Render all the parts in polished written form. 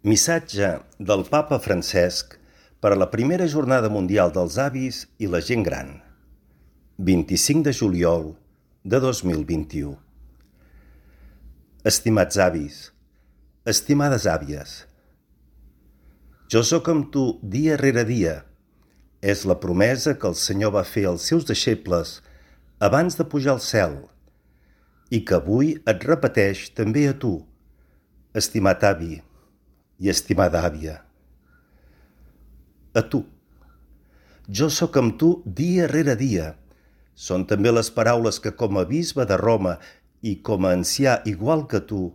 Missatge del Papa Francesc per a la primera Jornada Mundial dels Avis i la Gent Gran, 25 de juliol de 2021. Estimats avis, estimades àvies, jo sóc amb tu dia rere dia. És la promesa que el Senyor va fer als seus deixebles abans de pujar al cel i que avui et repeteix també a tu, estimat avi i estimada àvia. A tu. Jo sóc amb tu dia rere dia. Són també les paraules que com a bisbe de Roma i com a ancià igual que tu,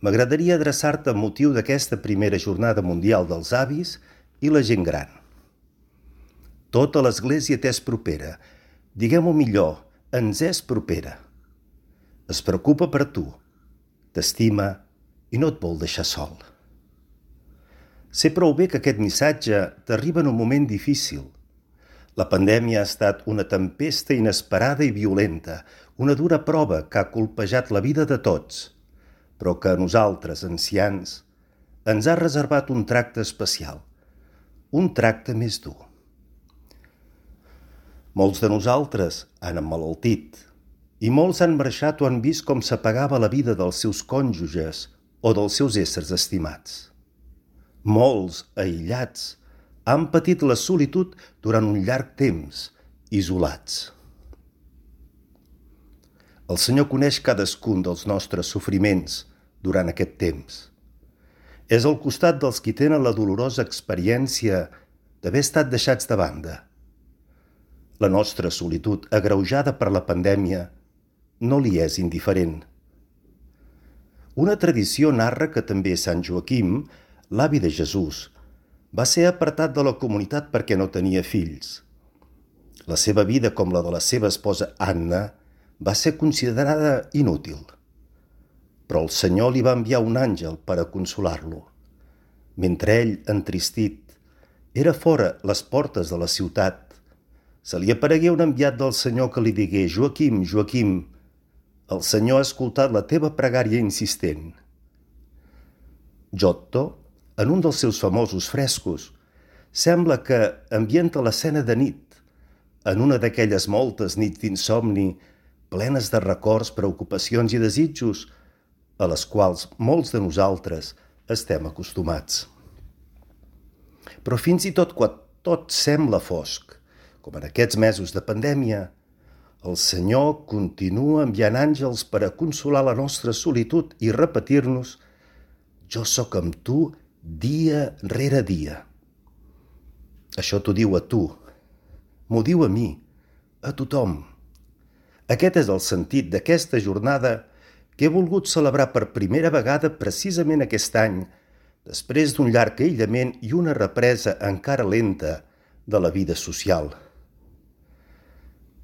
m'agradaria adreçar-te amb motiu d'aquesta primera Jornada Mundial dels Avis i la Gent Gran. Tota l'Església t'és propera, diguem-ho millor, ens és propera. Es preocupa per tu, t'estima i no et vol deixar sol. Sé prou bé que aquest missatge t'arriba en un moment difícil. La pandèmia ha estat una tempesta inesperada i violenta, una dura prova que ha colpejat la vida de tots, però que a nosaltres, ancians, ens ha reservat un tracte especial, un tracte més dur. Molts de nosaltres han emmalaltit i molts han marxat o han vist com s'apagava la vida dels seus cònjuges o dels seus éssers estimats. Molts, aïllats, han patit la solitud durant un llarg temps, isolats. El Senyor coneix cadascun dels nostres sofriments durant aquest temps. És al costat dels qui tenen la dolorosa experiència d'haver estat deixats de banda. La nostra solitud, agreujada per la pandèmia, no li és indiferent. Una tradició narra que també Sant Joaquim, l'avi de Jesús, va ser apartat de la comunitat perquè no tenia fills. La seva vida, com la de la seva esposa Anna, va ser considerada inútil. Però el Senyor li va enviar un àngel per a consolar-lo. Mentre ell, entristit, era fora les portes de la ciutat, se li aparegué un enviat del Senyor que li digué: «Joaquim, Joaquim, el Senyor ha escoltat la teva pregària insistent». Giotto, en un dels seus famosos frescos, sembla que ambienta l'escena de nit, en una d'aquelles moltes nits d'insomni, plenes de records, preocupacions i desitjos, a les quals molts de nosaltres estem acostumats. Però fins i tot quan tot sembla fosc, com en aquests mesos de pandèmia, el Senyor continua enviant àngels per a consolar la nostra solitud i repetir-nos: «Jo sóc amb tu dia rere dia». Això t'ho diu a tu, m'ho diu a mi, a tothom. Aquest és el sentit d'aquesta jornada que he volgut celebrar per primera vegada precisament aquest any, després d'un llarg aïllament i una represa encara lenta de la vida social.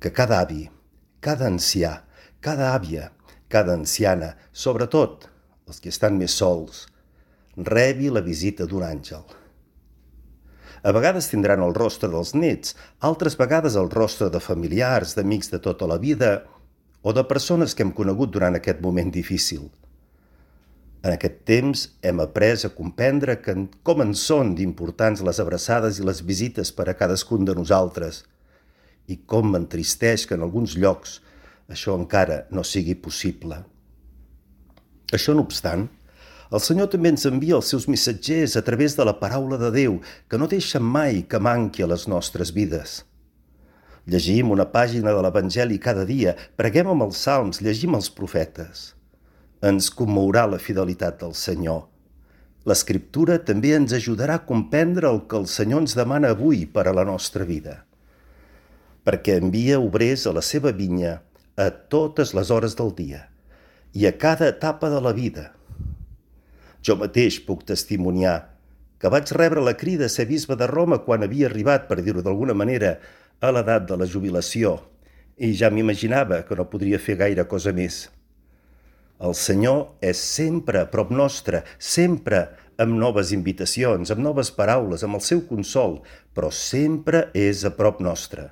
Que cada avi, cada ancià, cada àvia, cada anciana, sobretot els que estan més sols, rebi la visita d'un àngel. A vegades tindran el rostre dels nets, altres vegades el rostre de familiars, d'amics de tota la vida o de persones que hem conegut durant aquest moment difícil. En aquest temps hem après a comprendre com en són d'importants les abraçades i les visites per a cadascun de nosaltres i com m'entristeix que en alguns llocs això encara no sigui possible. Això no obstant, el Senyor també ens envia els seus missatgers a través de la paraula de Déu, que no deixa mai que manqui a les nostres vides. Llegim una pàgina de l'Evangeli cada dia, preguem amb els salms, llegim els profetes. Ens commourà la fidelitat del Senyor. L'Escriptura també ens ajudarà a comprendre el que el Senyor ens demana avui per a la nostra vida, perquè envia obrers a la seva vinya a totes les hores del dia i a cada etapa de la vida. Jo mateix puc testimoniar que vaig rebre la crida a ser bisbe de Roma quan havia arribat, per dir-ho d'alguna manera, a l'edat de la jubilació, i ja m'imaginava que no podria fer gaire cosa més. El Senyor és sempre a prop nostre, sempre amb noves invitacions, amb noves paraules, amb el seu consol, però sempre és a prop nostre.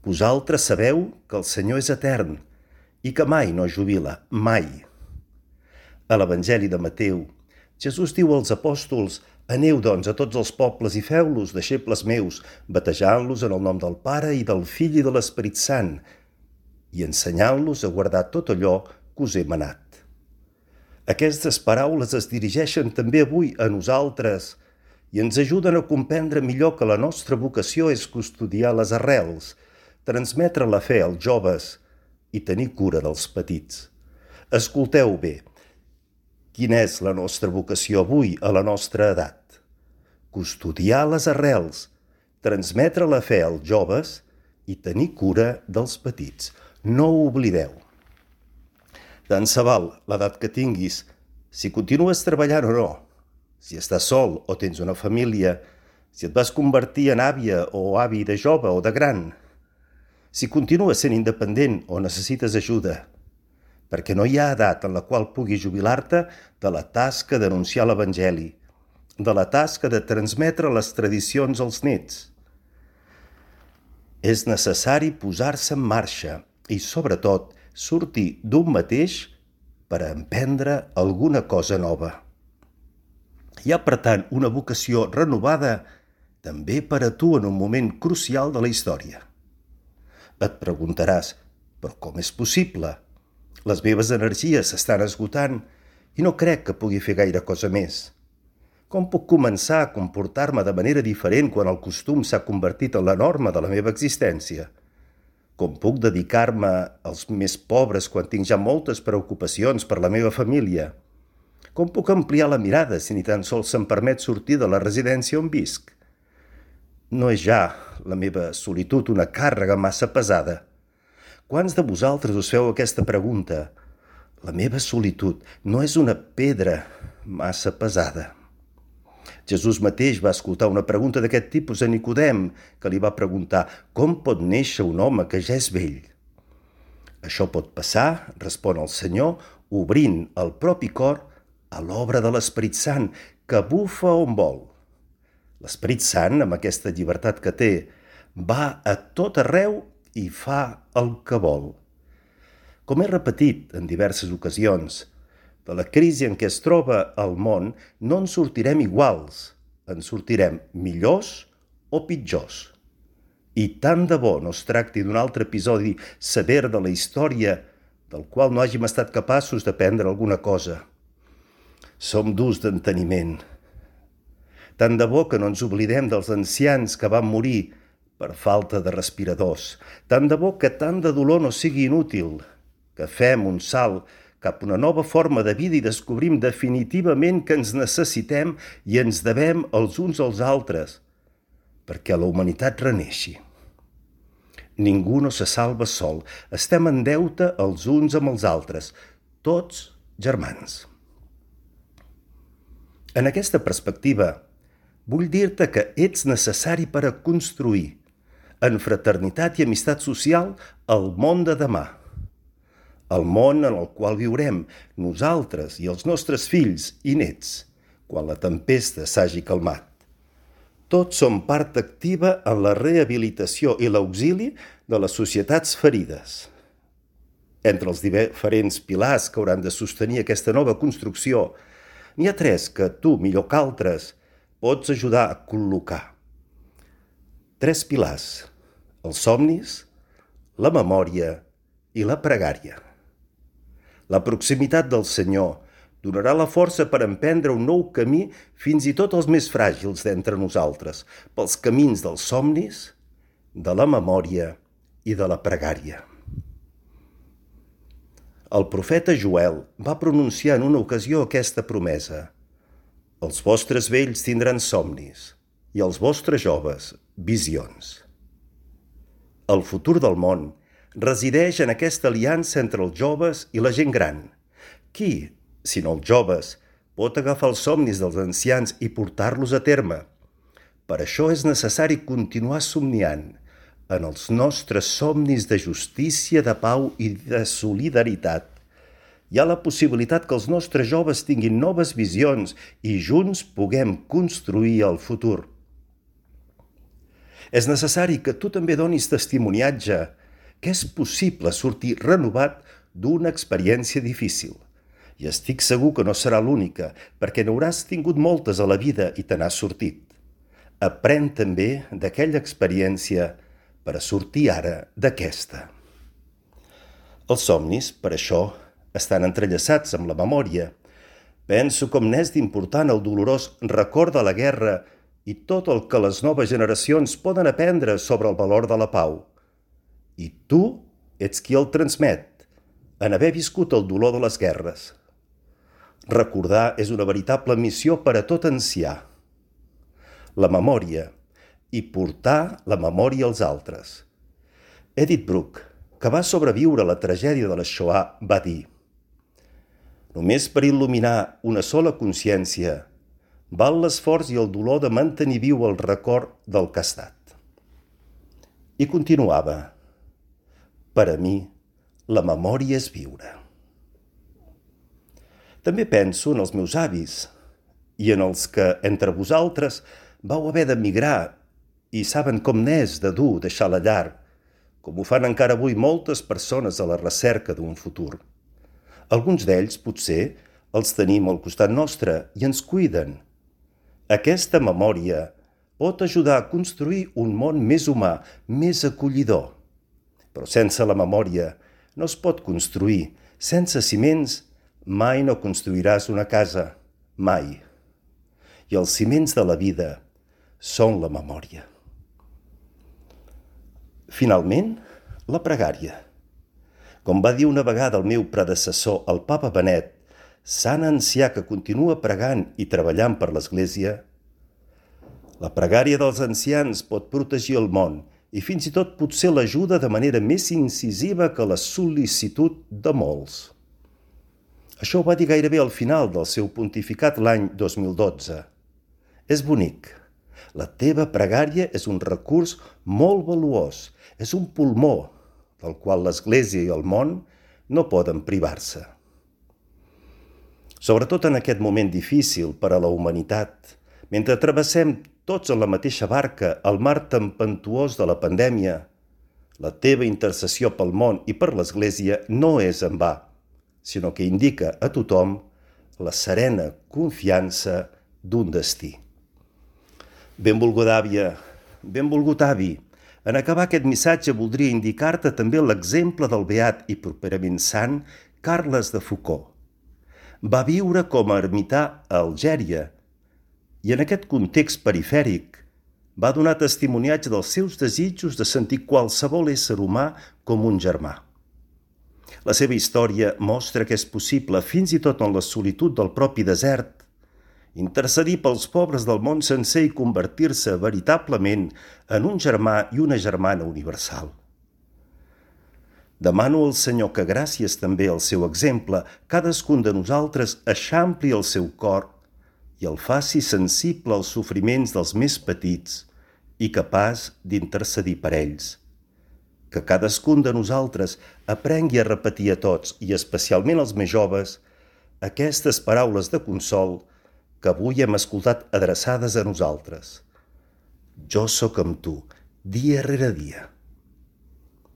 Vosaltres sabeu que el Senyor és etern i que mai no jubila, mai. A l'Evangeli de Mateu Jesús diu als apòstols: «Aneu, doncs, a tots els pobles i feu-los deixebles meus, batejant-los en el nom del Pare i del Fill i de l'Esperit Sant, i ensenyant-los a guardar tot allò que us he manat». Aquestes paraules es dirigeixen també avui a nosaltres i ens ajuden a comprendre millor que la nostra vocació és custodiar les arrels, transmetre la fe als joves i tenir cura dels petits. Escolteu bé, quina és la nostra vocació avui a la nostra edat? Custodiar les arrels, transmetre la fe als joves i tenir cura dels petits. No ho oblideu. Tant se val l'edat que tinguis, si continues treballant o no, si estàs sol o tens una família, si et vas convertir en àvia o avi de jove o de gran, si continues sent independent o necessites ajuda, perquè no hi ha edat en la qual puguis jubilar-te de la tasca d'anunciar l'Evangeli, de la tasca de transmetre les tradicions als nets. És necessari posar-se en marxa i, sobretot, sortir d'un mateix per a emprendre alguna cosa nova. Hi ha, per tant, una vocació renovada també per a tu en un moment crucial de la història. Et preguntaràs, però com és possible? Les meves energies s'estan esgotant i no crec que pugui fer gaire cosa més. Com puc començar a comportar-me de manera diferent quan el costum s'ha convertit en la norma de la meva existència? Com puc dedicar-me als més pobres quan tinc ja moltes preocupacions per la meva família? Com puc ampliar la mirada si ni tan sols se'm permet sortir de la residència on visc? No és ja la meva solitud una càrrega massa pesada? Quants de vosaltres us feu aquesta pregunta? La meva solitud no és una pedra massa pesada? Jesús mateix va escoltar una pregunta d'aquest tipus a Nicodem, que li va preguntar: «Com pot néixer un home que ja és vell?» «Això pot passar», respon el Senyor, «obrint el propi cor a l'obra de l'Esperit Sant, que bufa on vol». L'Esperit Sant, amb aquesta llibertat que té, va a tot arreu i fa el que vol. Com he repetit en diverses ocasions, de la crisi en què es troba el món no en sortirem iguals, en sortirem millors o pitjors. I tant de bo no es tracti d'un altre episodi sever de la història del qual no hàgim estat capaços d'aprendre alguna cosa. Som durs d'enteniment. Tant de bo que no ens oblidem dels ancians que van morir per falta de respiradors. Tant de bo que tant de dolor no sigui inútil, que fem un salt cap a una nova forma de vida i descobrim definitivament que ens necessitem i ens devem els uns als altres, perquè la humanitat reneixi. Ningú no se salva sol, estem en deute els uns amb els altres, tots germans. En aquesta perspectiva, vull dir-te que ets necessari per a construir, en fraternitat i amistat social, el món de demà. El món en el qual viurem nosaltres i els nostres fills i nets, quan la tempesta s'hagi calmat. Tots som part activa en la rehabilitació i l'auxili de les societats ferides. Entre els diferents pilars que hauran de sostenir aquesta nova construcció, n'hi ha 3 que tu, millor que altres, pots ajudar a col·locar. 3 pilars: els somnis, la memòria i la pregària. La proximitat del Senyor donarà la força per emprendre un nou camí fins i tot els més fràgils d'entre nosaltres, pels camins dels somnis, de la memòria i de la pregària. El profeta Joel va pronunciar en una ocasió aquesta promesa: «Els vostres vells tindran somnis i els vostres joves visions». El futur del món resideix en aquesta aliança entre els joves i la gent gran. Qui, si no els joves, pot agafar els somnis dels ancians i portar-los a terme? Per això és necessari continuar somniant en els nostres somnis de justícia, de pau i de solidaritat. Hi ha la possibilitat que els nostres joves tinguin noves visions i junts puguem construir el futur. És necessari que tu també donis testimoniatge que és possible sortir renovat d'una experiència difícil I estic segur que no serà l'única, perquè n'hauràs tingut moltes a la vida i te n'has sortit. Aprèn també d'aquella experiència per a sortir ara d'aquesta. Els somnis, per això, estan entrellaçats amb la memòria. Penso com n'és d'important el dolorós record de la guerra i tot el que les noves generacions poden aprendre sobre el valor de la pau. I tu ets qui el transmet, en haver viscut el dolor de les guerres. Recordar és una veritable missió per a tot ancià. La memòria i portar la memòria als altres. Edith Bruck, que va sobreviure a la tragèdia de la Shoah, va dir: només per il·luminar una sola consciència val l'esforç i el dolor de mantenir viu el record del que ha estat. I continuava: per a mi, la memòria és viure. També penso en els meus avis i en els que, entre vosaltres, vau haver d'emigrar i saben com n'és de dur deixar la llar, com ho fan encara avui moltes persones a la recerca d'un futur. Alguns d'ells, potser, els tenim al costat nostre i ens cuiden. Aquesta memòria pot ajudar a construir un món més humà, més acollidor. Però sense la memòria no es pot construir. Sense ciments mai no construiràs una casa, mai. I els ciments de la vida són la memòria. Finalment, la pregària. Com va dir una vegada el meu predecessor, el papa Benet, sant ancià que continua pregant i treballant per l'Església, la pregària dels ancians pot protegir el món i fins i tot potser l'ajuda de manera més incisiva que la sol·licitud de molts. Això ho va dir gairebé al final del seu pontificat l'any 2012. És bonic. La teva pregària és un recurs molt valuós, és un pulmó del qual l'Església i el món no poden privar-se. Sobretot en aquest moment difícil per a la humanitat, mentre travessem tots en la mateixa barca el mar tempestuós de la pandèmia, la teva intercessió pel món i per l'Església no és en va, sinó que indica a tothom la serena confiança d'un destí. Benvolguda àvia, benvolgut avi, en acabar aquest missatge voldria indicar-te també l'exemple del beat i properament sant Carles de Foucault. Va viure com a ermità a Algèria i en aquest context perifèric va donar testimoniatge dels seus desitjos de sentir qualsevol ésser humà com un germà. La seva història mostra que és possible, fins i tot en la solitud del propi desert, intercedir pels pobres del món sencer i convertir-se veritablement en un germà i una germana universal. Demano al Senyor que, gràcies també al seu exemple, cadascun de nosaltres eixampli el seu cor i el faci sensible als sofriments dels més petits i capaç d'intercedir per ells. Que cadascun de nosaltres aprengui a repetir a tots, i especialment als més joves, aquestes paraules de consol que avui hem escoltat adreçades a nosaltres. Jo sóc amb tu, dia rere dia.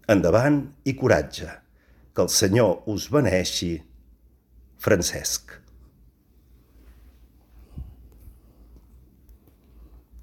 Endavant i coratge. Que el Senyor us beneeixi. Francesc.